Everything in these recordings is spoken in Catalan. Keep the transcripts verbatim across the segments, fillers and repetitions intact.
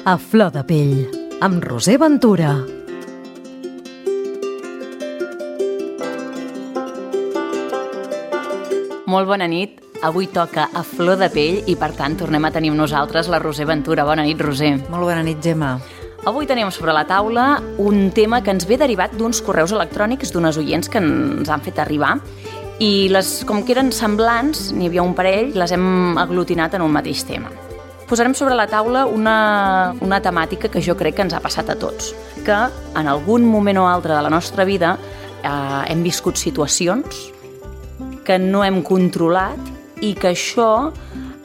A flor de pell, amb Roser Ventura. Molt bona nit. Avui toca A flor de pell i, per tant, tornem a tenir amb nosaltres la Roser Ventura. Bona nit, Roser. Molt bona nit, Gemma. Avui tenim sobre la taula un tema que ens ve derivat d'uns correus electrònics d'unes oients que ens han fet arribar i les, com que eren semblants, n'hi havia un parell, les hem aglutinat en un mateix tema. Posarem sobre la taula una, una temàtica que jo crec que ens ha passat a tots, que en algun moment o altre de la nostra vida eh, hem viscut situacions que no hem controlat i que això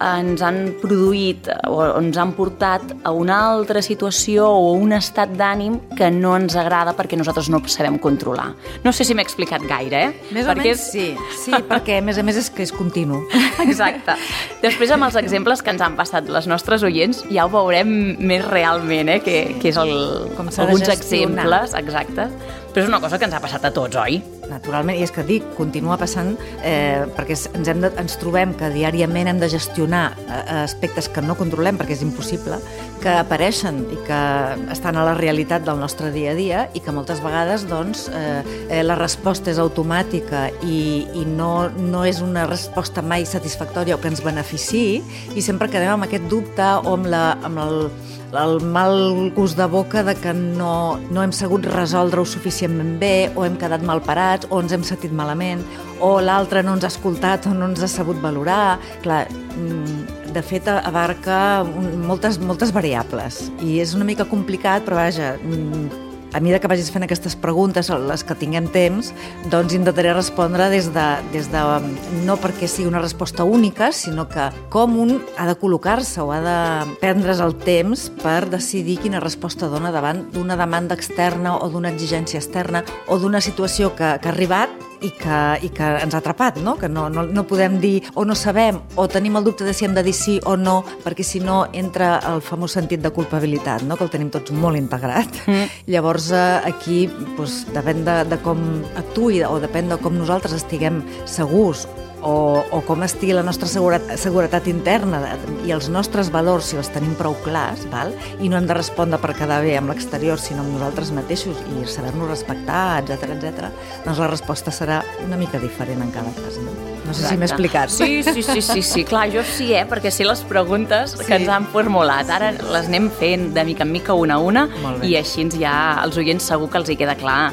ens han produït o ens han portat a una altra situació o un estat d'ànim que no ens agrada perquè nosaltres no sabem controlar. No sé si m'he explicat gaire, eh? Més perquè o menys sí, sí, perquè a més a més és que és continu. Exacte. Després, amb els exemples que ens han passat les nostres oients, ja ho veurem més realment, eh? Que, que és el, Com s'ha de alguns gestionar. exemples, exacte. Però és una cosa que ens ha passat a tots, oi? Naturalment, i és que dic, continua passant eh, perquè ens, hem de, ens trobem que diàriament hem de gestionar eh, aspectes que no controlem perquè és impossible, que apareixen i que estan a la realitat del nostre dia a dia i que moltes vegades doncs, eh, eh, la resposta és automàtica i, i no, no és una resposta mai satisfactòria o que ens beneficiï i sempre quedem amb aquest dubte o amb, la, amb el, el mal gust de boca de que no, no hem sabut resoldre-ho suficientment bé o hem quedat mal parats o ens hem sentit malament o l'altre no ens ha escoltat o no ens ha sabut valorar. Clar, de fet abarca moltes, moltes variables i és una mica complicat, però vaja, a mesura que vagis fent aquestes preguntes, les que tinguem temps, doncs intentaré respondre des de, des de no perquè sigui una resposta única, sinó que com un ha de col·locar-se o ha de prendre's el temps per decidir quina resposta dona davant d'una demanda externa o d'una exigència externa o d'una situació que, que ha arribat i que, i que ens ha atrapat, no? Que no, no, no podem dir o no sabem o tenim el dubte de si hem de dir sí o no, perquè si no entra el famós sentit de culpabilitat, no? Que el tenim tots molt integrat. Mm. Llavors aquí doncs, depèn de, de com actuï o depèn de com nosaltres estiguem segurs o, o com estigui la nostra seguretat, seguretat interna i els nostres valors, si els tenim prou clars, val? I no hem de respondre per quedar bé amb l'exterior, sinó amb nosaltres mateixos i saber-nos respectar, etcètera, etcètera, doncs la resposta serà una mica diferent en cada cas. No, no sé Exacte. Si m'he explicat. Sí, sí, sí, sí, sí, clar, jo sí, eh? Perquè sé les preguntes sí. que ens han formulat. Ara les anem fent de mica en mica una a una i així ja els oients segur que els hi queda clar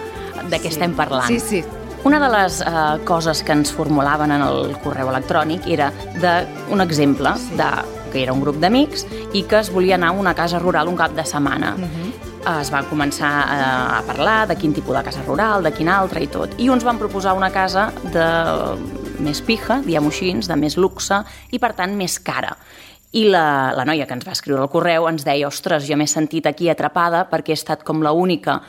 de què sí. estem parlant. Sí, sí. Una de les eh, coses que ens formulaven en el correu electrònic era de, un exemple sí. de, que era un grup d'amics i que es volia anar a una casa rural un cap de setmana. Uh-huh. Es va començar a, a parlar de quin tipus de casa rural, de quin altre i tot. I uns van proposar una casa de més pija, diguem-ho així, de més luxe i, per tant, més cara. I la, la noia que ens va escriure el correu ens deia «Ostres, jo m'he sentit aquí atrapada perquè he estat com l'única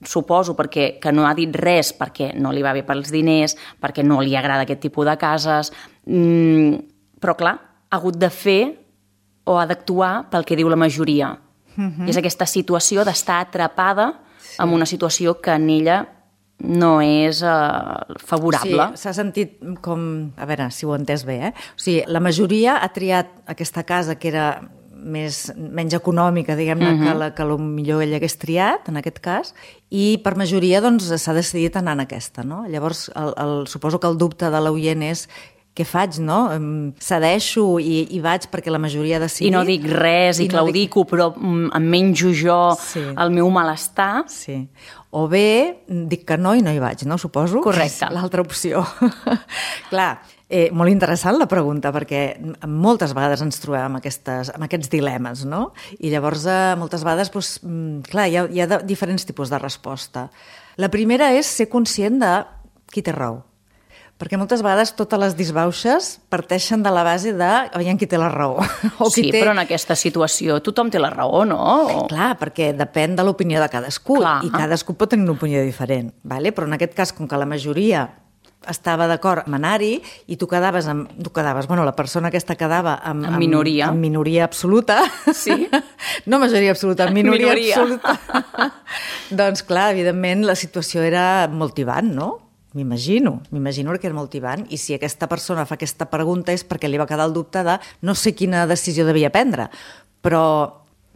suposo perquè que no ha dit res perquè no li va bé pels diners, perquè no li agrada aquest tipus de cases, mm, però clar, ha hagut de fer o ha d'actuar pel que diu la majoria. Uh-huh. És aquesta situació d'estar atrapada sí. en una situació que en ella no és eh, favorable. Sí, s'ha sentit com... A veure, si ho he entès bé, eh? O sigui, la majoria ha triat aquesta casa que era més, menys econòmica, diguem-ne, uh-huh. que la que millor ell hagués triat, en aquest cas, i per majoria doncs, s'ha decidit anar en aquesta. No? Llavors, el, el, suposo que el dubte de l'oient és què faig, no? Cedeixo i, i vaig perquè la majoria ha decidit. I no dic res, i, i claudico, no dic... però em menjo jo sí. el meu malestar. Sí. O bé, dic que no i no hi vaig, no? Suposo. Correcte. L'altra opció. Clar, eh, molt interessant la pregunta, perquè moltes vegades ens trobem amb, aquestes, amb aquests dilemes, no? I llavors, eh, moltes vegades, doncs, clar, hi ha, hi ha diferents tipus de resposta. La primera és ser conscient de qui té raó. Perquè moltes vegades totes les disbauxes parteixen de la base de aviam qui té la raó. O sí, qui té... però en aquesta situació tothom té la raó, no? O... Clar, perquè depèn de l'opinió de cadascú Clar. I cadascú pot tenir una opinió diferent. Vale? Però en aquest cas, com que la majoria estava d'acord amb anar-hi i tu quedaves amb... Tu quedaves, bueno, la persona aquesta quedava amb... En minoria. Amb, amb minoria absoluta. Sí. No majoria absoluta, amb minoria, minoria. absoluta. Doncs clar, evidentment la situació era molt tibant, no? M'imagino, m'imagino que era molt tibant i si aquesta persona fa aquesta pregunta és perquè li va quedar el dubte de no sé quina decisió devia prendre, però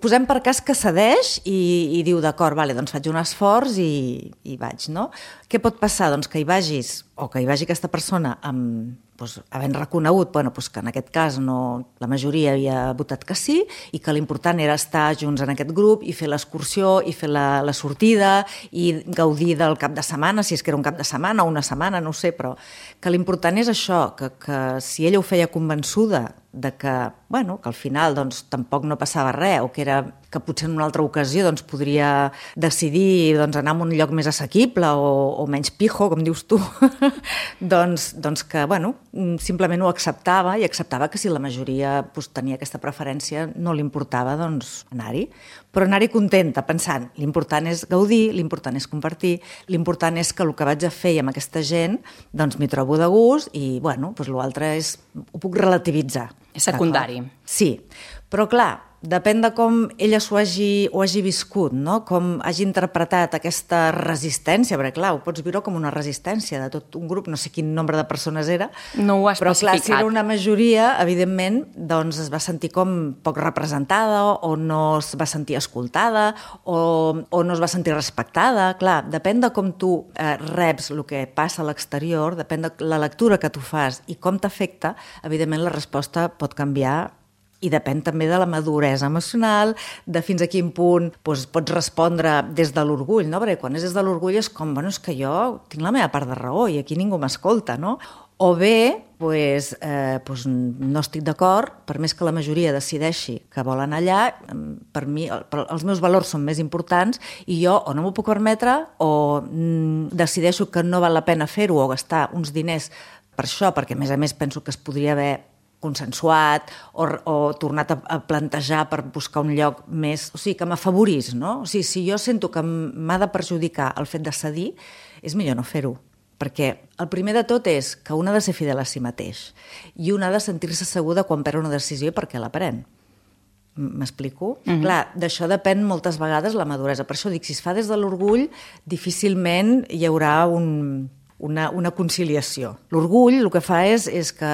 Posem per cas que cedeix i, i diu, d'acord, vale, doncs faig un esforç i, i vaig, no? Què pot passar? Doncs que hi vagis, o que hi vagi aquesta persona amb, doncs, havent reconegut bueno, doncs que en aquest cas no, la majoria havia votat que sí i que l'important era estar junts en aquest grup i fer l'excursió i fer la, la sortida i gaudir del cap de setmana, si és que era un cap de setmana o una setmana, no ho sé, però que l'important és això, que, que si ella ho feia convençuda de que, bueno, que al final doncs, tampoc no passava res o que, era, que potser en una altra ocasió doncs, podria decidir doncs, anar a un lloc més assequible o, o menys pijo, com dius tu, doncs, doncs que bueno, simplement ho acceptava i acceptava que si la majoria doncs, tenia aquesta preferència no li importava doncs, anar-hi. Però anar-hi contenta, pensant, l'important és gaudir, l'important és compartir, l'important és que el que vaig a fer amb aquesta gent doncs m'hi trobo de gust i bueno, doncs l'altre és, ho puc relativitzar. És secundari. Sí, però clar, depèn de com ella s'ho hagi, ho hagi viscut, no? Com hagi interpretat aquesta resistència, perquè clar, ho pots viure com una resistència de tot un grup, no sé quin nombre de persones era, no ho ha però clar, especificat. si era una majoria, evidentment, doncs es va sentir com poc representada o no es va sentir escoltada o, o no es va sentir respectada. Clar, depèn de com tu eh, reps el que passa a l'exterior, depèn de la lectura que tu fas i com t'afecta, evidentment la resposta pot canviar i depèn també de la maduresa emocional, de fins a quin punt doncs, pots respondre des de l'orgull, no? Perquè quan és des de l'orgull és com, bueno, és que jo tinc la meva part de raó i aquí ningú m'escolta, no? O bé, doncs, eh, doncs no estic d'acord, per més que la majoria decideixi que vol anar allà, per mi els meus valors són més importants i jo o no m'ho puc permetre o mm, decideixo que no val la pena fer-ho o gastar uns diners per això, perquè a més a més penso que es podria haver consensuat o, o tornat a, a plantejar per buscar un lloc més... O sigui, que m'afavorís, no? O sigui, si jo sento que m'ha de perjudicar el fet de cedir, és millor no fer-ho. Perquè el primer de tot és que un ha de ser fidel a si mateix i un ha de sentir-se segura quan pren una decisió i per què la pren. M'explico? Mm-hmm. Clar, d'això depèn moltes vegades la maduresa. Per això dic, si es fa des de l'orgull, difícilment hi haurà un... Una, una conciliació. L'orgull el que fa és, és que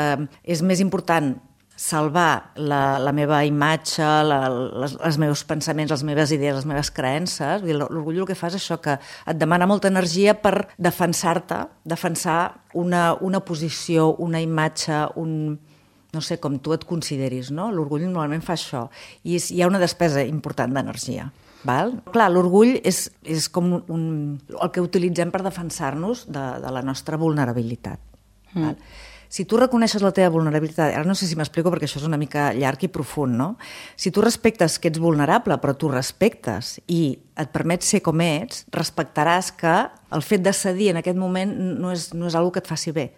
és més important salvar la, la meva imatge, la, les, els meus pensaments, les meves idees, les meves creences. L'orgull el que fa és això, que et demana molta energia per defensar-te, defensar una, una posició, una imatge, un... no sé, com tu et consideris, no? L'orgull normalment fa això. I és, hi ha una despesa important d'energia. Val? Clar, l'orgull és, és com un, el que utilitzem per defensar-nos de, de la nostra vulnerabilitat. Mm. Val? Si tu reconeixes la teva vulnerabilitat, ara no sé si m'explico perquè això és una mica llarg i profund, no? Si tu respectes que ets vulnerable, però tu respectes i et permets ser com ets, respectaràs que el fet de cedir en aquest moment no és, no és una cosa que et faci bé.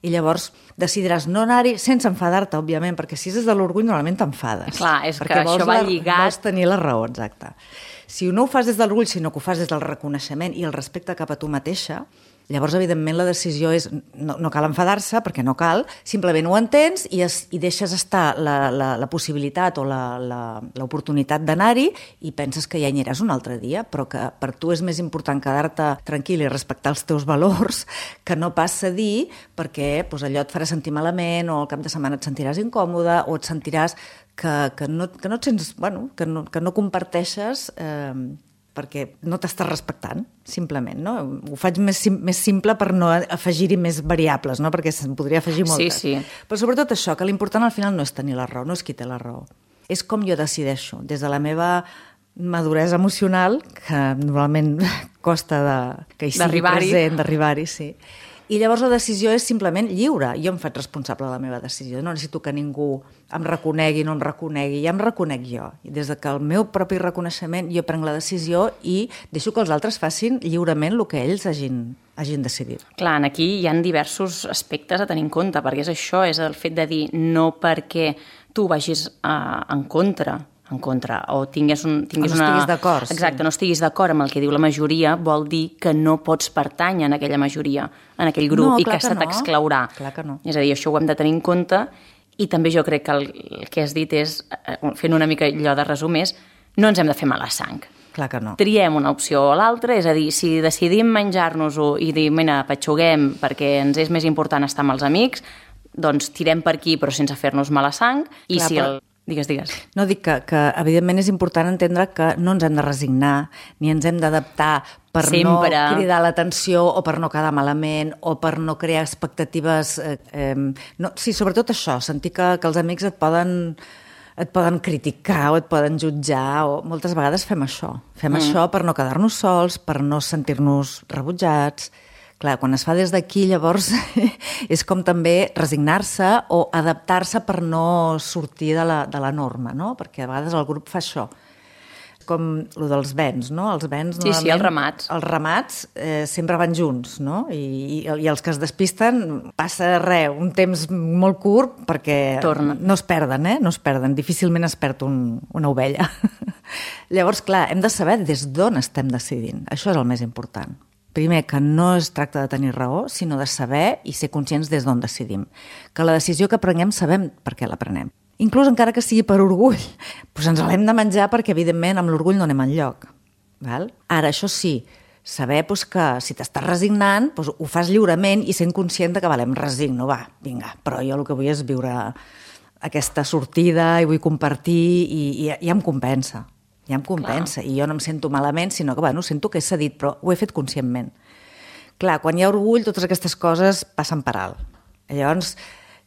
I llavors decidiràs no anar-hi sense enfadar-te, òbviament, perquè si és des de l'orgull normalment t'enfades. Clar, és que això va lligat... Vols tenir la raó, exacte. Si no ho fas des de l'orgull, sinó que ho fas des del reconeixement i el respecte cap a tu mateixa, llavors, evidentment, la decisió és... No, no cal enfadar-se, perquè no cal, simplement ho entens i, es, i deixes estar la, la, la possibilitat o l'oportunitat d'anar-hi i penses que ja hi aniràs un altre dia, però que per tu és més important quedar-te tranquil i respectar els teus valors que no pas cedir perquè doncs, allò et farà sentir malament o al cap de setmana et sentiràs incòmode o et sentiràs que, que, no, que no et sents... Bueno, que no, que no comparteixes... Eh, perquè no t'estàs respectant, simplement, no? Ho faig més, sim, més simple per no afegir-hi més variables, no? Perquè se'n podria afegir moltes. Sí, sí. Però sobretot això, que l'important al final no és tenir la raó, no és qui té la raó. És com jo decideixo, des de la meva maduresa emocional, que normalment costa de, que hi sigui present, d'arribar-hi, sí. I llavors la decisió és simplement lliure. Jo em faig responsable de la meva decisió. No necessito que ningú em reconegui, no em reconegui. Ja em reconec jo. I des que el meu propi reconeixement jo prenc la decisió i deixo que els altres facin lliurement el que ells hagin, hagin decidit. Clar, aquí hi ha diversos aspectes a tenir en compte, perquè és això, és el fet de dir no perquè tu vagis uh, en contra en contra, o tinguis, un, tinguis o no estiguis d'acord. Exacte, sí. no estiguis d'acord amb el que diu la majoria, vol dir que no pots pertànyer en aquella majoria, en aquell grup, no, i que, que se no. t'exclaurà. Clar que no. És a dir, això ho hem de tenir en compte, i també jo crec que el, el que has dit és, fent una mica allò de resum, és no ens hem de fer mala sang. Clar que no. Triem una opció o l'altra, és a dir, si decidim menjar-nos-ho i dir, mira, patxuguem perquè ens és més important estar amb els amics, doncs tirem per aquí però sense fer-nos mala sang, i clar, si però... el... Digues, digues. No, dic que, que evidentment és important entendre que no ens hem de resignar, ni ens hem d'adaptar per Sempre. no cridar l'atenció o per no quedar malament o per no crear expectatives. Eh, eh, no, sí, sobretot això, sentir que, que els amics et poden, et poden criticar o et poden jutjar. O moltes vegades fem això. Fem mm. això per no quedar-nos sols, per no sentir-nos rebutjats. Clar, quan es fa des d'aquí, llavors és com també resignar-se o adaptar-se per no sortir de la, de la norma, no? Perquè a vegades el grup fa això. Com el dels vents, no? Els vents, sí, sí, els ramats. Els ramats eh, sempre van junts, no? I, i, I els que es despisten passa res, un temps molt curt perquè Torna. no es perden, eh? No es perden, difícilment es perd un, una ovella. Llavors, clar, hem de saber des d'on estem decidint. Això és el més important. Primer, que no es tracta de tenir raó, sinó de saber i ser conscients des d'on decidim. Que la decisió que prenguem sabem per què la prenem. Inclús encara que sigui per orgull, doncs ens l'hem de menjar perquè, evidentment, amb l'orgull no anem enlloc. Val? Ara, això sí, saber doncs, que si t'estàs resignant, doncs, ho fas lliurement i sent conscient que, vale, em resigno, va, vinga, però jo el que vull és viure aquesta sortida i vull compartir i, i ja em compensa. Ja em compensa, clar. I jo no em sento malament, sinó que, bueno, sento que he cedit, però ho he fet conscientment. Clar, quan hi ha orgull, totes aquestes coses passen per alt. Llavors,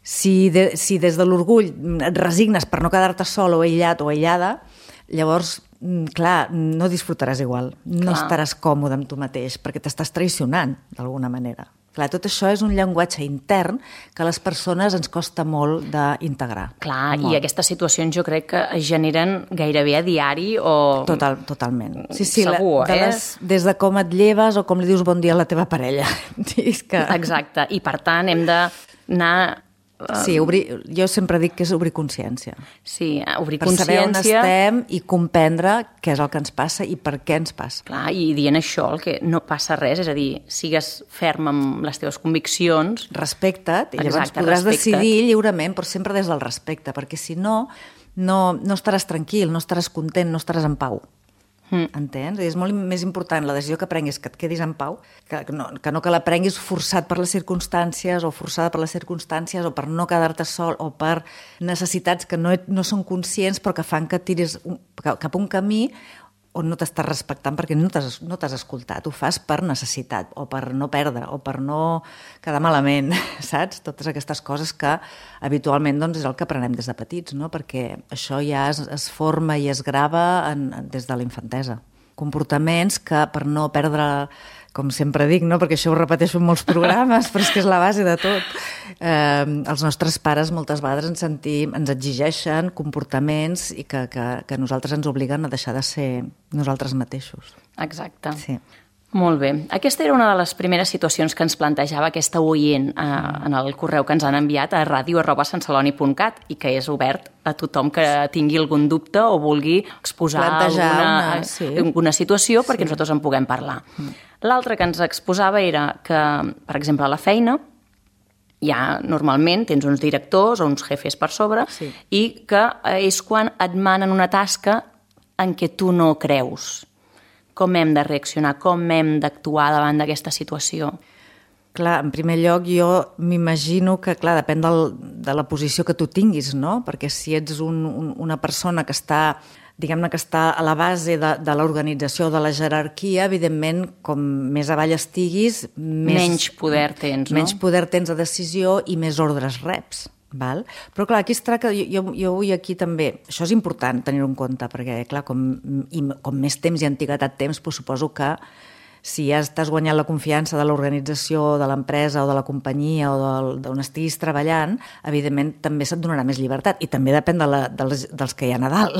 si, de, si des de l'orgull et resignes per no quedar-te sol o aïllat o aïllada, llavors, clar, no disfrutaràs igual, no clar. Estaràs còmode amb tu mateix, perquè t'estàs traicionant, d'alguna manera. Clar, tot això és un llenguatge intern que a les persones ens costa molt d'integrar. Clar, molt. I aquestes situacions jo crec que es generen gairebé a diari o... Total, totalment. Sí, sí, segur, la, de eh? Les, des de com et lleves o com li dius bon dia a la teva parella. Que... Exacte, i per tant hem d'anar... Sí, obrir, jo sempre dic que és obrir consciència. Sí, obrir per consciència... Per saber on estem i comprendre què és el que ens passa i per què ens passa. Clar, i dient això, el que no passa res, és a dir, sigues ferm amb les teves conviccions... Respecta't, i llavors Exacte, podràs respecta't. decidir lliurement, però sempre des del respecte, perquè si no, no, no estaràs tranquil, no estaràs content, no estaràs en pau. Mm. Entens? És molt més important la decisió que prenguis que et quedis en pau, que no, que no que la prenguis forçat per les circumstàncies o forçada per les circumstàncies o per no quedar-te sol o per necessitats que no, no són conscients però que fan que tiris un, cap a un camí on no t'estàs respectant perquè no t'has no t'has escoltat, ho fas per necessitat o per no perdre o per no quedar malament, saps? Totes aquestes coses que habitualment doncs, és el que aprenem des de petits, no? Perquè això ja es, es forma i es grava en, des de la infantesa. Comportaments que per no perdre, com sempre dic, no? Perquè això ho repeteixo en molts programes, però és que és la base de tot. Eh, els nostres pares moltes vegades ens sentim, ens exigeixen comportaments i que, que, que nosaltres ens obliguen a deixar de ser nosaltres mateixos. Exacte. Sí. Molt bé. Aquesta era una de les primeres situacions que ens plantejava aquesta oient eh, en el correu que ens han enviat a ràdio arroba santceloni punt cat i que és obert a tothom que tingui algun dubte o vulgui exposar plantejar alguna, una, sí. alguna situació perquè sí. nosaltres en puguem parlar. Mm. L'altre que ens exposava era que, per exemple, a la feina ja normalment tens uns directors o uns jefes per sobre sí. i que és quan et manen una tasca en què tu no creus. Com hem de reaccionar, com hem d'actuar davant d'aquesta situació? Clar, en primer lloc jo m'imagino que, clar, depèn del, de la posició que tu tinguis, no? Perquè si ets un, un, una persona que està, diguem-ne que està a la base de, de l'organització, de la jerarquia, evidentment, com més avall estiguis... Més, menys poder tens, no? Menys poder tens de decisió i més ordres reps. Val? Però clar, aquí es tracta, jo, jo vull aquí també, això és important tenir-ho en compte, perquè clar, com, i, com més temps i antiguitat temps, doncs suposo que si ja estàs guanyant la confiança de l'organització, de l'empresa o de la companyia o d'on estiguis treballant, evidentment també se't donarà més llibertat. I també depèn de la, dels, dels que hi ha a Nadal,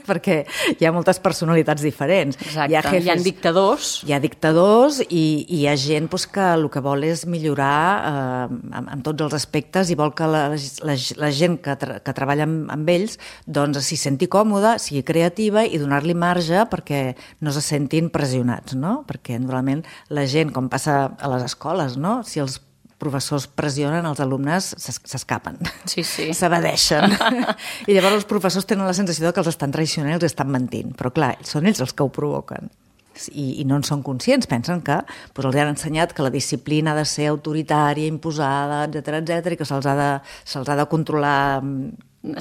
perquè hi ha moltes personalitats diferents. Exacte, hi ha, jefes, hi ha dictadors. Hi ha dictadors i, i hi ha gent doncs, que el que vol és millorar eh, en, en tots els aspectes i vol que la, la, la gent que, tra que treballa amb, amb ells doncs s'hi senti còmoda, sigui creativa i donar-li marge perquè no se sentin pressionats, no? Perquè normalment la gent, com passa a les escoles, no? Si els professors pressionen, els alumnes s'escapen, sí, sí. s'evadeixen. I llavors els professors tenen la sensació que els estan traicionant i els estan mentint. Però clar, són ells els que ho provoquen. i, i no en són conscients, pensen que doncs, els han ensenyat que la disciplina ha de ser autoritària, imposada, etcètera, etcètera, i que se'ls ha de, se'ls ha de controlar...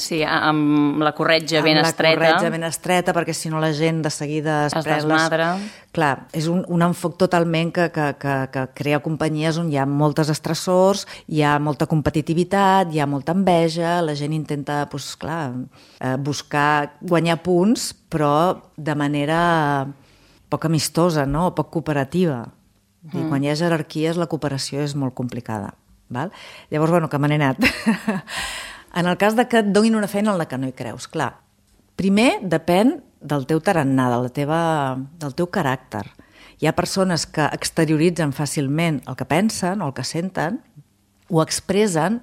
Sí, amb la corretja ben estreta. Amb la corretja ben estreta, perquè si no la gent de seguida es, es desmadra. Les... Clar, és un, un enfoc totalment que, que, que, que crea companyies on hi ha moltes estressors, hi ha molta competitivitat, hi ha molta enveja, la gent intenta, doncs, clar, buscar guanyar punts, però de manera poc amistosa, no? Poc cooperativa. Mm. I quan hi ha jerarquies, la cooperació és molt complicada. Val? Llavors, bueno, que me n'he anat. En el cas de que et donin una feina en la que no hi creus, clar, primer depèn del teu tarannà, de la teva, del teu caràcter. Hi ha persones que exterioritzen fàcilment el que pensen o el que senten, ho expressen,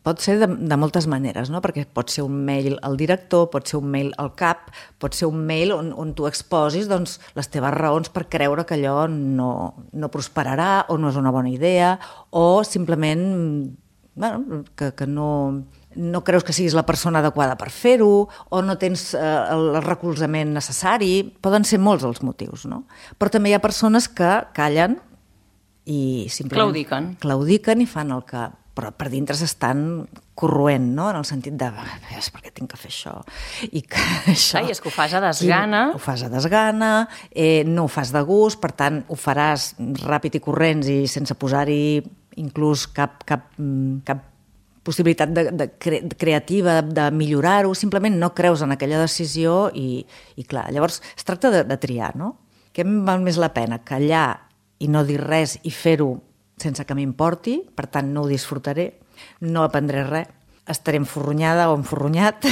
pot ser de, de moltes maneres, no? Perquè pot ser un mail al director, pot ser un mail al cap, pot ser un mail on, on tu exposis doncs, les teves raons per creure que allò no, no prosperarà o no és una bona idea, o simplement bueno, que, que no... no creus que siguis la persona adequada per fer-ho, o no tens eh, el recolzament necessari. Poden ser molts els motius, no? Però també hi ha persones que callen i simplement... Claudiquen. Claudiquen i fan el que... Però per dintre s'estan corroent, no? En el sentit de, és perquè tinc que fer això. I que això... Ai, és que ho fas a desgana. I ho fas a desgana, eh, no ho fas de gust, per tant, ho faràs ràpid i corrents i sense posar-hi inclús cap, cap, cap possibilitat de, de, cre, de creativa, de, de millorar-ho, simplement no creus en aquella decisió i, i clar, llavors es tracta de, de triar, no? Què em val més la pena? Callar i no dir res i fer-ho sense que m'importi, per tant no ho disfrutaré, no aprendré res, estaré enforronyada o enforronyat,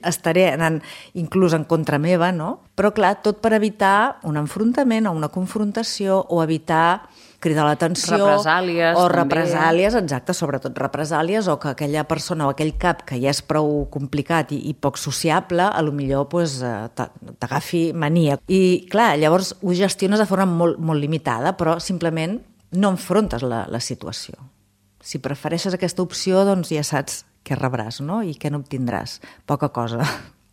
estaré anant inclús en contra meva, no? Però clar, tot per evitar un enfrontament o una confrontació o evitar cridar l'atenció... Represàlies, o també. represàlies, exacte, sobretot represàlies, o que aquella persona o aquell cap que ja és prou complicat i, i poc sociable, a lo millor pues, t'agafi mania. I clar, llavors ho gestiones de forma molt, molt limitada, però simplement no enfrontes la, la situació. Si prefereixes aquesta opció, doncs ja saps què rebràs, no? I què no obtindràs. Poca cosa.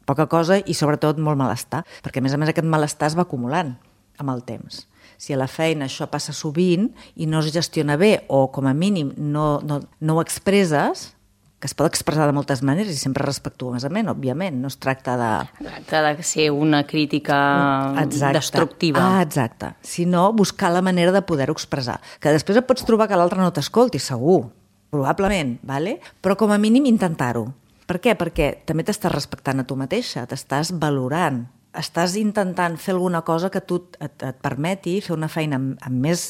Poca cosa i sobretot molt malestar, perquè a més a més aquest malestar es va acumulant amb el temps. Si a la feina això passa sovint i no es gestiona bé o com a mínim no, no, no ho expresses, que es pot expressar de moltes maneres i sempre respectuosament, òbviament, no es tracta de... Exacte, de ser una crítica exacte. Destructiva. Ah, exacte. Sinó buscar la manera de poder-ho expressar. Que després et pots trobar que l'altre no t'escolti, segur, probablement, vale? Però com a mínim intentar-ho. Per què? Perquè també t'estàs respectant a tu mateixa, t'estàs valorant, estàs intentant fer alguna cosa que tu et, et permeti fer una feina amb, amb més,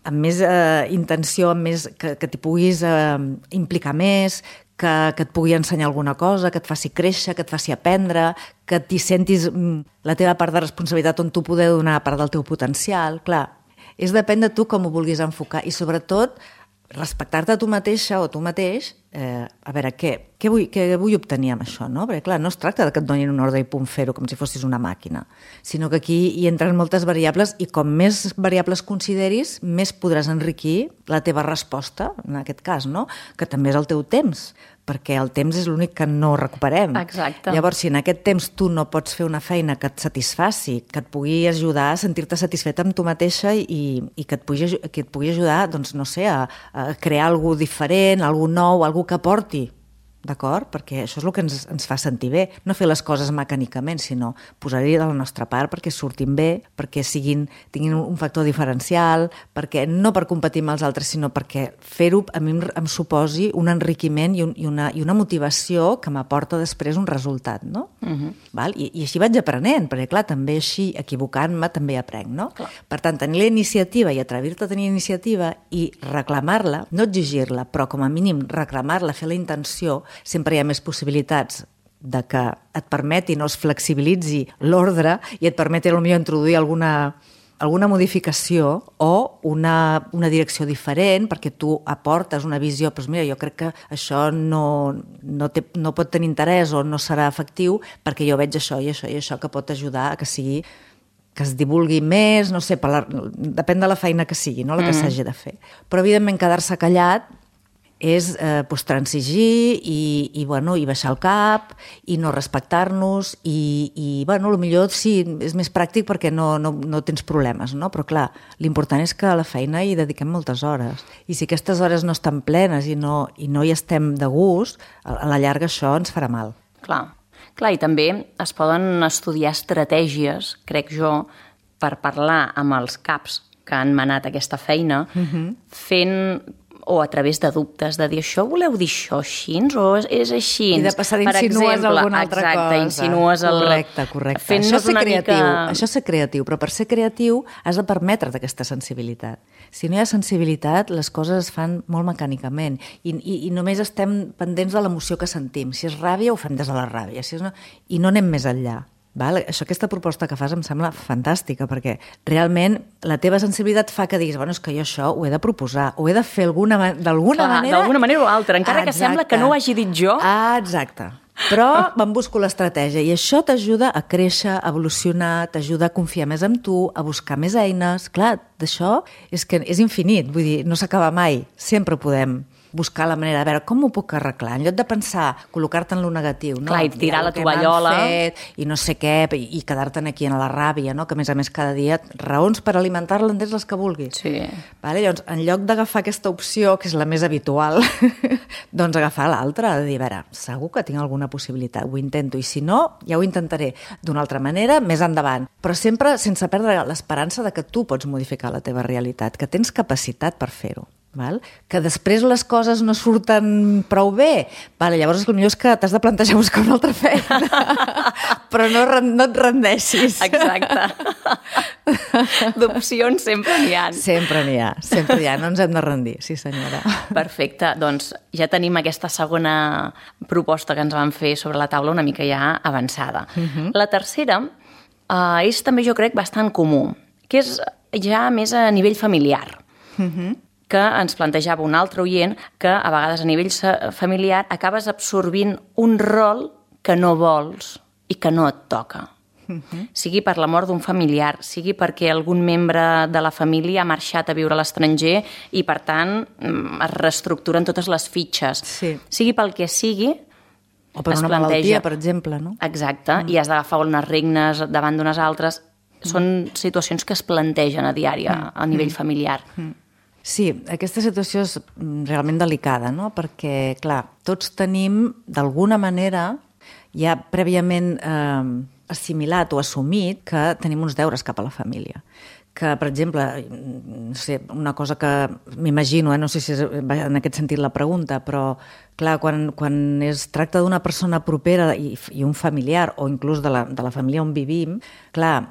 amb més eh, intenció, amb més, que, que t'hi puguis eh, implicar més, que, que et pugui ensenyar alguna cosa, que et faci créixer, que et faci aprendre, que t'hi sentis la teva part de responsabilitat on tu poder donar part del teu potencial. Clar, és depèn de tu com ho vulguis enfocar i sobretot respectar-te a tu mateixa o tu mateix, eh, a veure, què, què, vull, què vull obtenir amb això, no? Perquè, clar, no es tracta de que et donin una ordre i punt fer-ho com si fossis una màquina, sinó que aquí hi entren moltes variables i com més variables consideris, més podràs enriquir la teva resposta, en aquest cas, no? Que també és el teu temps, perquè el temps és l'únic que no recuperem. Exacte. Llavors, si en aquest temps tu no pots fer una feina que et satisfaci, que et pugui ajudar a sentir-te satisfeta amb tu mateixa i, i que, et pugui, que et pugui ajudar, doncs, no sé, a, a crear alguna cosa diferent, alguna nou, alguna que aporti, d'acord? Perquè això és el que ens, ens fa sentir bé. No fer les coses mecànicament, sinó posar-hi de la nostra part perquè surtin bé, perquè siguin, tinguin un factor diferencial, perquè no per competir amb els altres, sinó perquè fer-ho a mi em, em suposi un enriquiment i, un, i, una, i una motivació que m'aporta després un resultat, no? Uh-huh. Val? I, I així vaig aprenent, perquè clar, també així, equivocant-me, també aprenc, no? Clar. Per tant, tenir la iniciativa i atrevir-te a tenir iniciativa i reclamar-la, no exigir-la, però com a mínim reclamar-la, fer la intenció, sempre hi ha més possibilitats de que et permeti, no es flexibilitzi l'ordre i et permeti potser introduir alguna, alguna modificació o una, una direcció diferent perquè tu aportes una visió, doncs mira, jo crec que això no, no, té, no pot tenir interès o no serà efectiu perquè jo veig això i això i això que pot ajudar a que sigui que es divulgui més, no sé, per la, depèn de la feina que sigui, no? La que mm. s'hagi de fer. Però evidentment quedar-se callat és eh, pues, transigir i, i, bueno, i baixar el cap i no respectar-nos i, i bueno, potser sí, és més pràctic perquè no, no, no tens problemes, no? Però clar, l'important és que a la feina hi dediquem moltes hores i si aquestes hores no estan plenes i no, i no hi estem de gust, a la llarga això ens farà mal. Clar. Clar, i també es poden estudiar estratègies, crec jo, per parlar amb els caps que han manat aquesta feina, uh-huh. fent o a través de dubtes, de dir això voleu dir això així o és així? I de passar d'insinues alguna altra exacte, cosa. Insinues el... Correcte, correcte. Això és ser creatiu, mica... això és ser creatiu, però per ser creatiu has de permetre't aquesta sensibilitat. Si no hi ha sensibilitat, les coses es fan molt mecànicament i, i, i només estem pendents de l'emoció que sentim. Si és ràbia, ho fem des de la ràbia, si és no... i no anem més enllà. Val? Això, aquesta proposta que fas em sembla fantàstica perquè realment la teva sensibilitat fa que diguis bueno, és que jo això ho he de proposar, ho he de fer d'alguna manera... D'alguna manera o altra, encara exacte. Que sembla que no ho hagi dit jo. Ah, exacte. Però me'n busco l'estratègia i això t'ajuda a créixer, a evolucionar, t'ajuda a confiar més en tu, a buscar més eines. Clar, d'això és que és infinit, vull dir, no s'acaba mai, sempre podem buscar la manera de veure com ho puc arreglar, en lloc de pensar, col·locar-te en lo negatiu, no? Clar, i tirar la tovallola. Fet, i no sé què, i, i quedar-te'n aquí en la ràbia, no? Que a més a més cada dia raons per alimentar-la en tens les que vulguis. Sí. Vale? Llavors, en lloc d'agafar aquesta opció, que és la més habitual, doncs agafar l'altra, de dir, a veure, segur que tinc alguna possibilitat, ho intento, i si no, ja ho intentaré d'una altra manera, més endavant. Però sempre sense perdre l'esperança de que tu pots modificar la teva realitat, que tens capacitat per fer-ho. Val? Que després les coses no surten prou bé, vale, llavors el millor és que t'has de plantejar buscar una altra feina però no, no et rendeixis. Exacte. D'opcions sempre n'hi ha. Sempre n'hi ha, sempre n'hi ha, no ens hem de rendir, sí senyora. Perfecte, doncs ja tenim aquesta segona proposta que ens van fer sobre la taula una mica ja avançada. Uh-huh. La tercera uh, és també jo crec bastant comú, que és ja més a nivell familiar. Uh-huh. Que ens plantejava un altre oient que a vegades a nivell familiar acabes absorbint un rol que no vols i que no et toca. Uh-huh. Sigui per la mort d'un familiar, sigui perquè algun membre de la família ha marxat a viure a l'estranger i, per tant, es reestructuren totes les fitxes. Sí. Sigui pel que sigui, o per una planteja... malaltia, per exemple, no? Exacte, mm. i has d'agafar unes regnes davant d'unes altres. Mm. Són situacions que es plantegen a diari mm. a nivell mm. familiar. Mm. Sí, aquesta situació és realment delicada, no? Perquè, clar, tots tenim, d'alguna manera, ja prèviament eh, assimilat o assumit que tenim uns deures cap a la família. Que, per exemple, no sé, una cosa que m'imagino, eh, no sé si és en aquest sentit la pregunta, però, clar, quan, quan es tracta d'una persona propera i, i un familiar, o inclús de la, de la família on vivim, clar,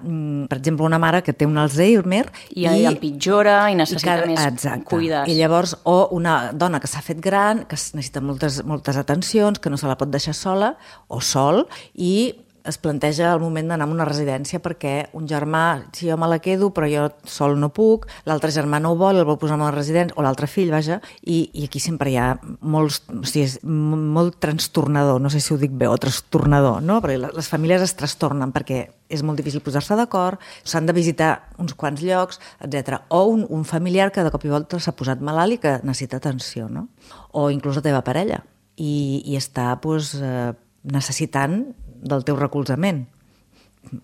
per exemple, una mare que té un Alzheimer... I, i empitjora i necessita i que, més exacte. Cuides. I llavors, o una dona que s'ha fet gran, que necessita moltes, moltes atencions, que no se la pot deixar sola, o sol, i es planteja el moment d'anar a una residència perquè un germà, si jo me la quedo, però jo sol no puc, l'altre germà no ho vol, el vol posar en una residència, o l'altre fill, vaja, i, i aquí sempre hi ha molts, o sigui, és molt trastornador, no sé si ho dic bé, o trastornador, no? Perquè les famílies es trastornen perquè és molt difícil posar-se d'acord, s'han de visitar uns quants llocs, etcètera. O un, un familiar que de cop i volta s'ha posat malalt i que necessita atenció, no? O inclús la teva parella, i, i està doncs, eh, necessitant del teu recolzament.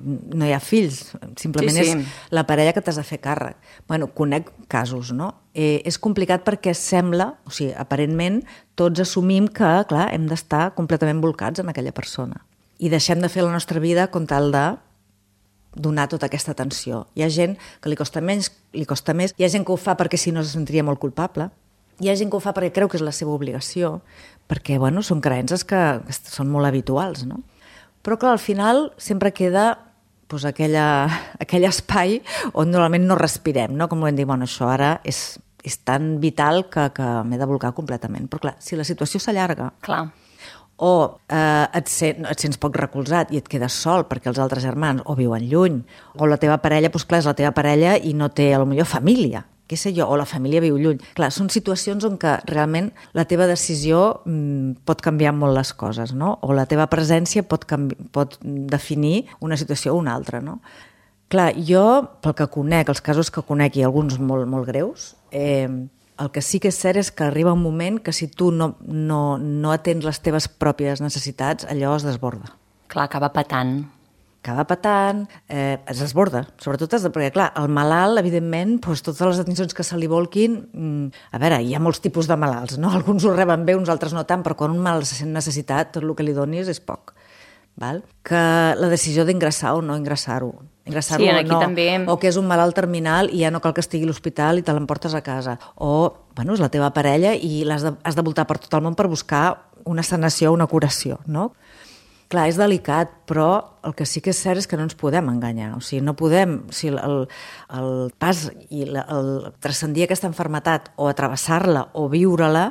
No hi ha fills, simplement sí, sí. és la parella que t'has de fer càrrec. Bueno, conec casos, no? Eh, és complicat perquè sembla, o sigui, aparentment, tots assumim que, clar, hem d'estar completament volcats en aquella persona. I deixem de fer la nostra vida com tal de donar tota aquesta atenció. Hi ha gent que li costa menys, li costa més, hi ha gent que ho fa perquè si no se sentiria molt culpable, hi ha gent que ho fa perquè creu que és la seva obligació, perquè, bueno, són creences que, que són molt habituals, no? Però, clar, al final sempre queda doncs, aquella, aquell espai on normalment no respirem, no? Com ho hem dit, bueno, això ara és, és tan vital que, que m'he de volcar completament. Però, clar, si la situació s'allarga clar. o eh, et, sent, et sents poc recolzat i et quedes sol perquè els altres germans o viuen lluny, o la teva parella, doncs clar, és la teva parella i no té, potser família, què sé jo, o la família viu lluny. Clar, són situacions on que realment la teva decisió mm, pot canviar molt les coses, no? O la teva presència pot, canvi- pot definir una situació o una altra, no? Clar, jo, pel que conec, els casos que conec i alguns molt, molt greus, eh, El que sí que és cert és que arriba un moment que si tu no, no, no atens les teves pròpies necessitats, allò es desborda. Clar, acaba patant. Acaba patant, eh, es desborda, sobretot es de, perquè, clar, el malalt, evidentment, doncs, totes les atencions que se li volquin, mm, a veure, hi ha molts tipus de malalts, no? Alguns ho reben bé, uns altres no tant, però quan un malalt se sent necessitat, tot el que li donis és poc. Val? Que la decisió d'ingressar o no ingressar-ho, ingressar-ho sí, o no, també... o que és un malalt terminal i ja no cal que estigui a l'hospital i te l'emportes a casa, o, bueno, és la teva parella i l'has de, has de voltar per tot el món per buscar una sanació, una curació, no? Clar, és delicat, però el que sí que és cert és que no ens podem enganyar. O sigui, no podem... O sigui, el, el pas i la, el transcendir aquesta malaltia o atravessar-la o viure-la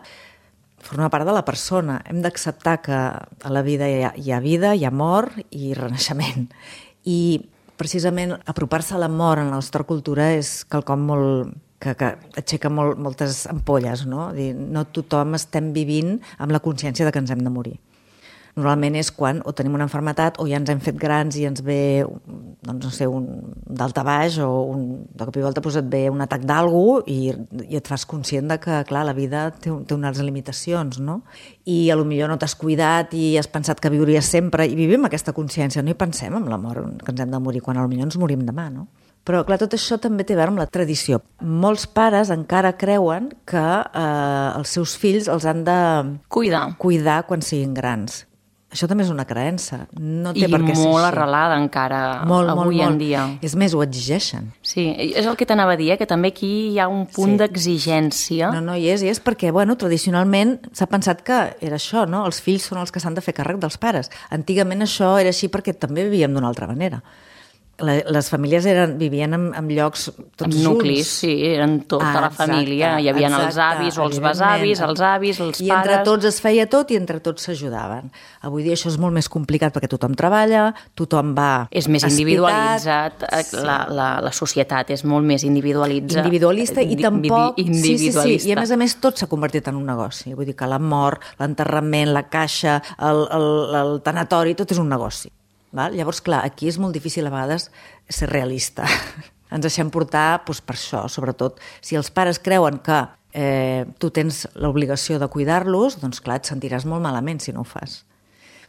forma part de la persona. Hem d'acceptar que a la vida hi ha, hi ha vida, hi ha mort i renaixement. I precisament apropar-se a la mort en la nostra cultura és quelcom molt... que, que aixeca molt, moltes ampolles, no? Dir, no tothom estem vivint amb la consciència de que ens hem de morir. Normalment és quan o tenim una malaltia o ja ens hem fet grans i ens ve, doncs no sé, un daltabaix o un, de cop i volta doncs et ve un atac d'algú i, i et fas conscient de que, clar, la vida té, té unes limitacions, no? I a lo millor no t'has cuidat i has pensat que viuries sempre i vivim aquesta consciència, no hi pensem en la mort, que ens hem de morir, quan a lo millor ens morim demà, no? Però, clar, tot això també té a veure amb la tradició. Molts pares encara creuen que eh, els seus fills els han de Cuidar. cuidar quan siguin grans. Això també és una creença. No té I per què ser molt així. arrelada encara molt, avui molt, en molt. dia. És més, ho exigeixen. Sí, és el que t'anava a dir, eh? Que també aquí hi ha un punt Sí. d'exigència. No, no, i és, i és perquè, bueno, tradicionalment s'ha pensat que era això, no? Els fills són els que s'han de fer càrrec dels pares. Antigament això era així perquè també vivíem d'una altra manera. La, les famílies eren, vivien en, en llocs tots Amb junts. nuclis, sí, eren tota Ah, la família. Hi havia els avis o els besavis, els avis, els I pares... entre tots es feia tot i entre tots s'ajudaven. Avui dia això és molt més complicat perquè tothom treballa, tothom va És més espitat. individualitzat, Sí. la, la, la societat és molt més individualitzat. Individualista i Di- tampoc... di- individualista. Sí, sí, sí, i a més a més tot s'ha convertit en un negoci. Vull dir que la mort, l'enterrament, la caixa, el, el, el tanatori, tot és un negoci. Val? Llavors, clar, aquí és molt difícil a vegades ser realista. Ens deixem portar doncs, per això, sobretot. Si els pares creuen que eh, tu tens l'obligació de cuidar-los, doncs clar, et sentiràs molt malament si no ho fas.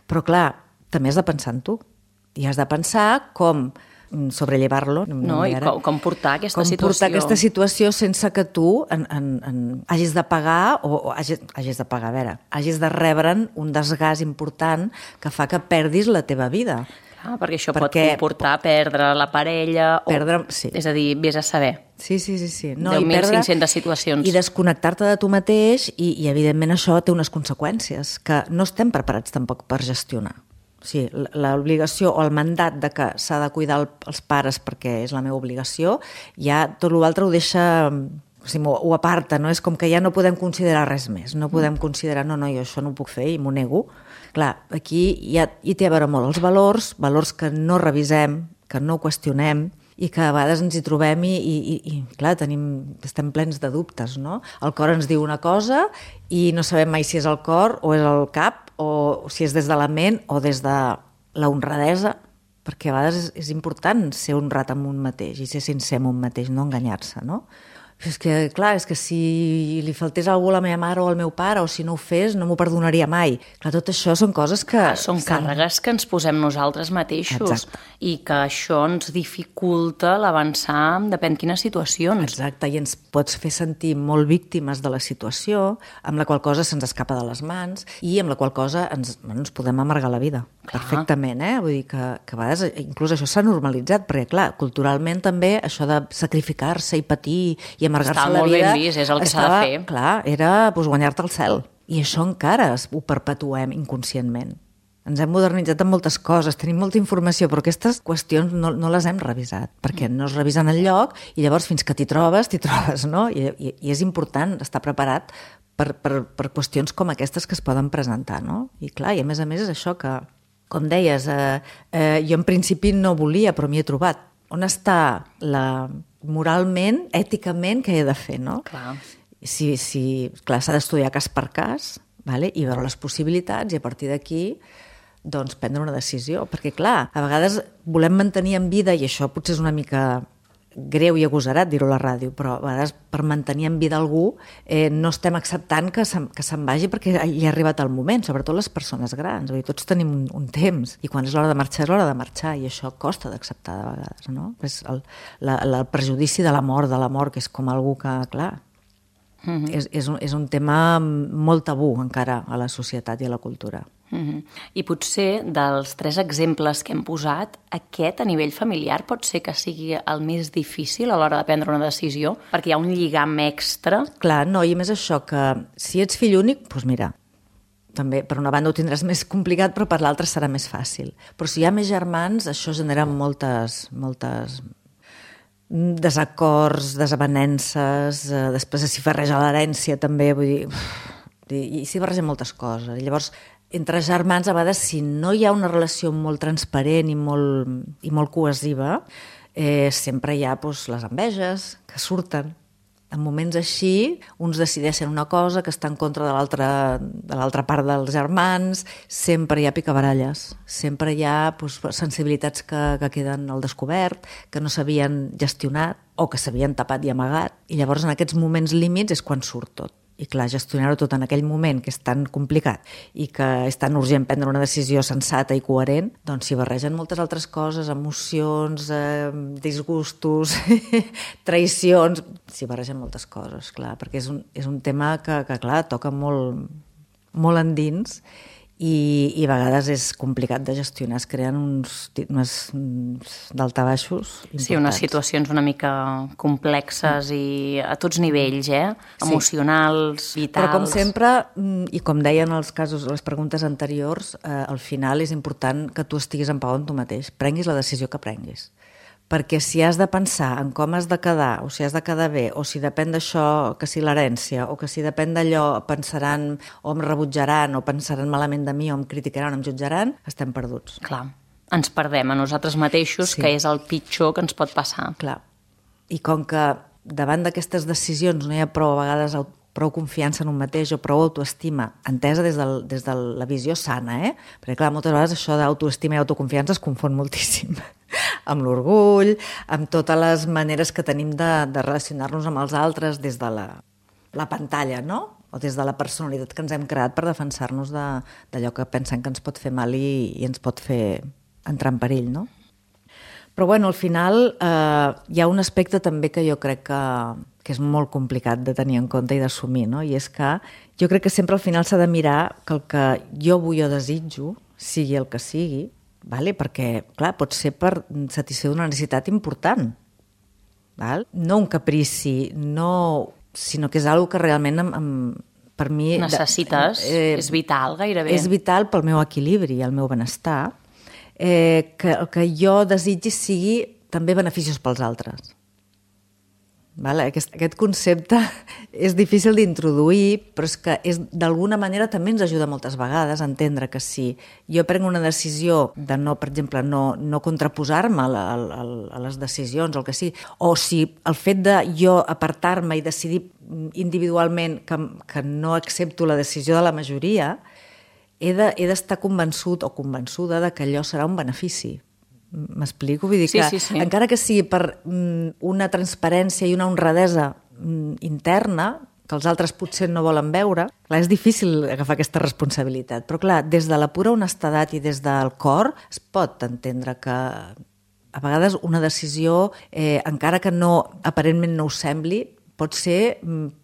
Però clar, també has de pensar en tu. I has de pensar com sobrellevar-lo. No, i com, com portar aquesta com situació. portar aquesta situació sense que tu en, en, en, hagis de pagar o, o hagis, hagis de pagar, a veure, hagis de rebre'n un desgast important que fa que perdis la teva vida. Ah, perquè això Perquè- pot comportar perdre la parella... Perdre- o, sí. És a dir, vés a saber. Sí, sí, sí. sí. deu mil cinc-centes situacions. I desconnectar-te de tu mateix i, i, evidentment, això té unes conseqüències que no estem preparats tampoc per gestionar. O sigui, l'obligació o el mandat de que s'ha de cuidar el, els pares perquè és la meva obligació, ja tot l'altre ho deixa... O sigui, ho aparta, no? És com que ja no podem considerar res més. No podem considerar, no, no, jo això no ho puc fer i m'ho nego. Clar, aquí ja hi té a veure molt els valors, valors que no revisem, que no qüestionem, i que a vegades ens hi trobem i, i, i, i clar, tenim, estem plens de dubtes, no? El cor ens diu una cosa i no sabem mai si és el cor o és el cap o si és des de la ment o des de la honradesa, perquè a vegades és, és important ser honrat amb un mateix i ser sincer amb un mateix, no enganyar-se, no? És que, clar, és que si li faltés algú a la meva mare o al meu pare o si no ho fes, no m'ho perdonaria mai. Clar, tot això són coses que... Ah, són càrregues que ens posem nosaltres mateixos. Exacte. I que això ens dificulta l'avançar en depèn quines situacions. Exacte, i ens pots fer sentir molt víctimes de la situació, amb la qual cosa se'ns escapa de les mans i amb la qual cosa ens, bueno, ens podem amargar la vida. Clar. Perfectament, eh? Vull dir que, que a vegades inclús això s'ha normalitzat, perquè, clar, culturalment també això de sacrificar-se i patir i amargar-se Està la molt vida... ben vist, és el que s'ha de estava, fer. Clar, era doncs, guanyar-te el cel. I això encara ho perpetuem inconscientment. Ens hem modernitzat en moltes coses, tenim molta informació, però aquestes qüestions no, no les hem revisat, perquè no es revisen enlloc i llavors fins que t'hi trobes, t'hi trobes, no? I, i, i és important estar preparat per, per, per qüestions com aquestes que es poden presentar, no? I clar, i a més a més és això que, com deies, eh, eh, jo en principi no volia, però m'hi he trobat. On està la... moralment, èticament, què he de fer, no? Clar. Si, si, clar, s'ha d'estudiar cas per cas, vale? I veure les possibilitats i a partir d'aquí doncs prendre una decisió, perquè clar, a vegades volem mantenir en vida, i això potser és una mica greu i agosarat dir-ho a la ràdio, però a vegades per mantenir en vida algú eh, no estem acceptant que se'n, que se'n vagi perquè hi ha arribat el moment, sobretot les persones grans. Vull dir, tots tenim un, un temps i quan és l'hora de marxar és l'hora de marxar i això costa d'acceptar de vegades, no? És el, la, la, el prejudici de la mort, de la mort, que és com algú que, clar, mm-hmm. és, és, un, és un tema molt tabú encara a la societat i a la cultura. Uh-huh. I potser dels tres exemples que hem posat, aquest a nivell familiar pot ser que sigui el més difícil a l'hora de prendre una decisió, perquè hi ha un lligam extra. Clar, no, i més això, que si ets fill únic, doncs mira, també per una banda ho tindràs més complicat, però per l'altra serà més fàcil. Però si hi ha més germans, això genera moltes, moltes desacords, desavenences, eh, després s'hi barreja l'herència també, vull dir, i s'hi barregen moltes coses. I llavors, entre germans, a vegades, si no hi ha una relació molt transparent i molt, i molt cohesiva, eh, sempre hi ha doncs, les enveges que surten. En moments així, uns decideixen una cosa que està en contra de l'altra de l'altra part dels germans, sempre hi ha picabaralles, sempre hi ha doncs, sensibilitats que, que queden al descobert, que no s'havien gestionat o que s'havien tapat i amagat. I llavors, en aquests moments límits és quan surt tot. I clar, gestionar-ho tot en aquell moment que és tan complicat i que és tan urgent prendre una decisió sensata i coherent, doncs s'hi barregen moltes altres coses, emocions, eh, disgustos, traïcions, s'hi barregen moltes coses, clar, perquè és un, és un tema que, que clar, toca molt, molt endins i, i a vegades és complicat de gestionar, es creen uns, uns daltabaixos importants. Sí, unes situacions una mica complexes i a tots nivells, eh? Emocionals, sí. Vitals... Però com sempre, i com deien els casos, les preguntes anteriors, eh, al final és important que tu estiguis en pau amb tu mateix, prenguis la decisió que prenguis. Perquè si has de pensar en com has de quedar, o si has de quedar bé, o si depèn d'això, que si l'herència, o que si depèn d'allò pensaran o em rebutjaran, o pensaran malament de mi, o em criticaran, o em jutjaran, estem perduts. Clar, ens perdem a nosaltres mateixos, sí. Que és el pitjor que ens pot passar. Clar, i com que davant d'aquestes decisions no hi ha prou a vegades prou confiança en un mateix o prou autoestima, entesa des, del, des de la visió sana, eh? Perquè clar, moltes vegades això d'autoestima i autoconfiança es confon moltíssim amb l'orgull, amb totes les maneres que tenim de, de relacionar-nos amb els altres des de la, la pantalla, no? O des de la personalitat que ens hem creat per defensar-nos d'allò que pensem que ens pot fer mal i, i ens pot fer entrar en perill, no? Però bueno, al final eh, hi ha un aspecte també que jo crec que, que és molt complicat de tenir en compte i d'assumir, no? I és que jo crec que sempre al final s'ha de mirar que el que jo vull o desitjo, sigui el que sigui, vale? Perquè, clar, pot ser per satisfer una necessitat important. Val? No un caprici, no, sinó que és una cosa que realment em, em, per mi... Necessites, eh, és vital gairebé. És vital pel meu equilibri, el meu benestar, eh, que el que jo desitgi sigui també beneficiós pels altres. Vale? Aquest, aquest concepte és difícil d'introduir, però és que és, d'alguna manera també ens ajuda moltes vegades a entendre que si jo prenc una decisió de no, per exemple, no, no contraposar-me a, a, a les decisions, el que sigui, o si el fet de jo apartar-me i decidir individualment que, que no accepto la decisió de la majoria, he de, he d'estar convençut o convençuda de que allò serà un benefici. M'explico? Vull dir que, sí, sí, sí. encara que sigui per mm, una transparència i una honradesa mm, interna, que els altres potser no volen veure, clar, és difícil agafar aquesta responsabilitat. Però clar, des de la pura honestedat i des del cor es pot entendre que a vegades una decisió, eh, encara que no aparentment no ho sembli, pot ser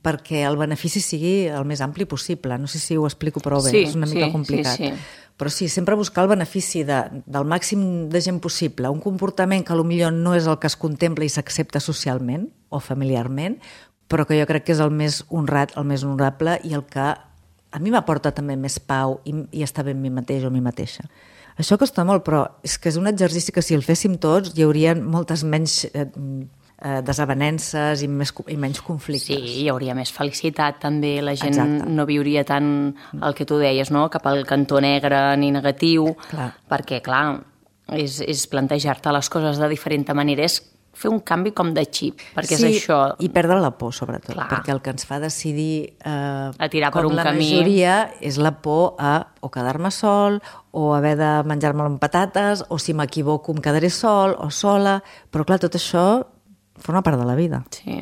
perquè el benefici sigui el més ampli possible. No sé si ho explico prou bé, sí, és una mica sí, complicat. Sí, sí. Però sí, sempre buscar el benefici de, del màxim de gent possible, un comportament que potser no és el que es contempla i s'accepta socialment o familiarment, però que jo crec que és el més honrat, el més honorable i el que a mi m'aporta també més pau i, i estar bé amb mi mateix o mi mateixa. Això costa molt, però és que és un exercici que si el féssim tots hi haurien moltes menys... Eh, Eh, desavenences i, més, i menys conflictes. Sí, hi hauria més felicitat també, la gent Exacte. No viuria tant el que tu deies, no? Cap al cantó negre ni negatiu, clar. Perquè clar, és, és plantejar-te les coses de diferent manera, és fer un canvi com de xip, perquè sí, és això... i perdre la por, sobretot, clar. Perquè el que ens fa decidir eh, a tirar com per un la camí... majoria és la por a o quedar-me sol, o haver de menjar-me amb patates, o si m'equivoco em quedaré sol o sola, però clar, tot això forma part de la vida. Sí.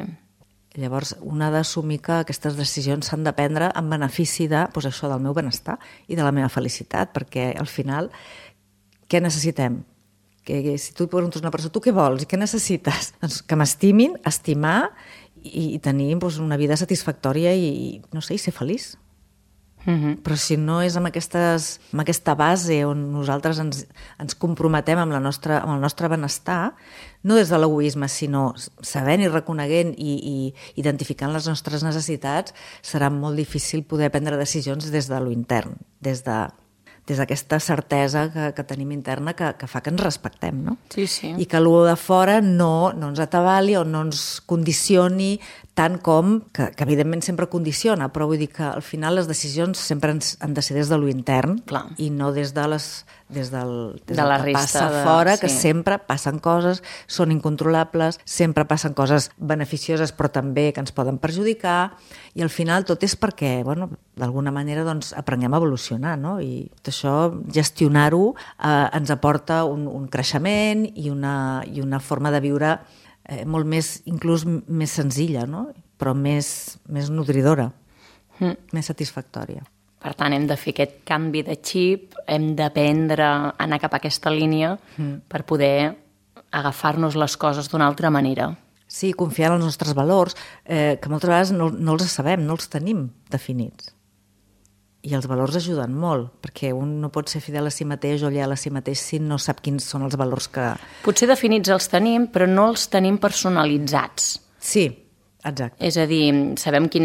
Llavors, un ha d'assumir que aquestes decisions s'han de prendre en benefici de, doncs això, del meu benestar i de la meva felicitat, perquè al final, què necessitem? Que, que si tu preguntes a una persona, tu què vols i què necessites? Doncs que m'estimin, estimar i, i tenir doncs, una vida satisfactòria i, no sé, i ser feliç. Mm-hmm. Però si no és amb, aquestes, amb aquesta base on nosaltres ens, ens comprometem amb, la nostra, amb el nostre benestar, no des de l'egoisme, sinó sabent i reconeguent i, i identificant les nostres necessitats, serà molt difícil poder prendre decisions des de lo intern, des de des d'aquesta certesa que, que tenim interna que, que fa que ens respectem, no? Sí, sí. I que allò de fora no, no ens atabali o no ens condicioni tant com, que, que evidentment sempre condiciona, però vull dir que al final les decisions sempre ens, han de ser des de lo intern. Clar. I no des de les des del, des de del la que resta passa de... fora, que sí. sempre passen coses, són incontrolables, sempre passen coses beneficioses però també que ens poden perjudicar, i al final tot és perquè, bueno, d'alguna manera doncs, aprenguem a evolucionar, no? I tot això, gestionar-ho, eh, ens aporta un, un creixement i una, i una forma de viure eh, molt més, inclús més senzilla, no? Però més, més nodridora, mm. més satisfactòria. Per tant, hem de fer aquest canvi de xip, hem d'aprendre a anar cap a aquesta línia mm. per poder agafar-nos les coses d'una altra manera. Sí, confiar en els nostres valors, eh, que moltes vegades no, no els sabem, no els tenim definits. I els valors ajuden molt, perquè un no pot ser fidel a si mateix o lleial a si mateix si no sap quins són els valors que... Potser definits els tenim, però no els tenim personalitzats. Sí, exacte. És a dir, sabem quin,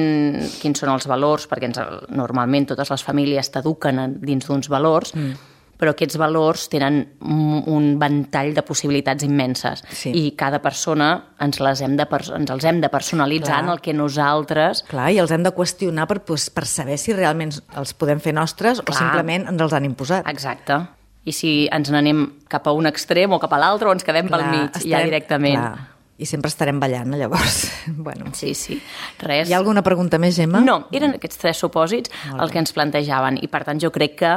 quins són els valors, perquè ens, normalment totes les famílies t'eduquen dins d'uns valors, mm. però aquests valors tenen un ventall de possibilitats immenses. Sí. I cada persona ens, les hem de, ens els hem de personalitzar Clar. En el que nosaltres... Clar, i els hem de qüestionar per, per saber si realment els podem fer nostres Clar. O simplement ens els han imposat. Exacte. I si ens n'anem cap a un extrem o cap a l'altre o ens quedem Clar, pel mig, estarem, ja directament... Clar. I sempre estarem ballant, llavors. Bueno. Sí, sí. Res. Hi ha alguna pregunta més, Gemma? No, eren aquests tres supòsits els que ens plantejaven i, per tant, jo crec que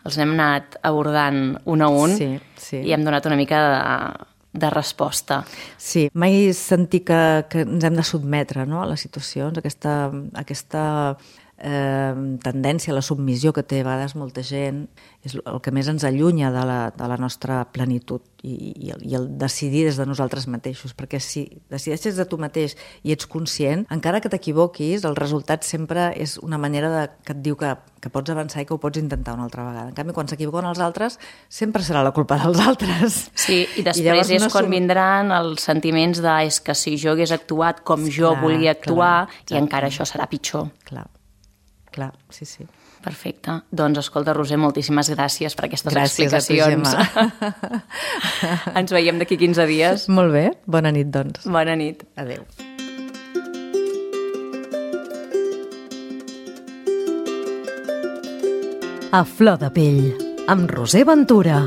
els hem anat abordant un a un sí, sí. i hem donat una mica de, de resposta. Sí, mai sentir que, que ens hem de sotmetre, no?, a les situacions, aquesta, aquesta eh, tendència a la submissió que té a vegades molta gent, és el que més ens allunya de la, de la nostra plenitud i, i, el, i el decidir des de nosaltres mateixos, perquè si decideixes de tu mateix i ets conscient, encara que t'equivoquis, el resultat sempre és una manera de, que et diu que, que pots avançar i que ho pots intentar una altra vegada. En canvi, quan s'equivoquen els altres, sempre serà la culpa dels altres. Sí, i després I és no quan som... vindran els sentiments de és que si jo hagués actuat com jo clar, volia actuar, clar, i encara això serà pitjor. Clar, clar, sí, sí. Perfecte. Doncs, escolta, Roser, moltíssimes gràcies per aquestes gràcies explicacions. A tu, Ens veiem d'aquí quinze dies. Molt bé. Bona nit, doncs. Bona nit. Adéu. A flor de pell, amb Roser Ventura.